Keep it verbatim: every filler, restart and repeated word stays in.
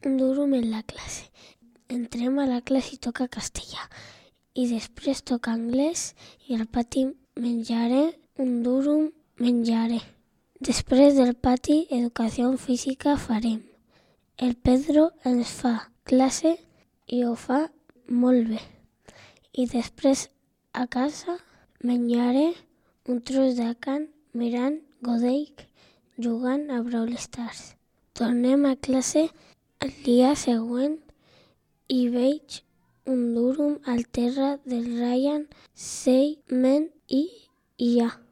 un durum en la classe. Entrem a la classe i toca castellà. I després toca anglès i al pati menjaré un durum menjaré. Després del pati, educació física farem. El Pedro ens fa classe i ho fa molt bé. I després a casa menjaré un tros de carn mirant Godell jugant a Brawl Stars. Tornem a classe el dia següent i veig un durum al terra del Ryan seient i ja.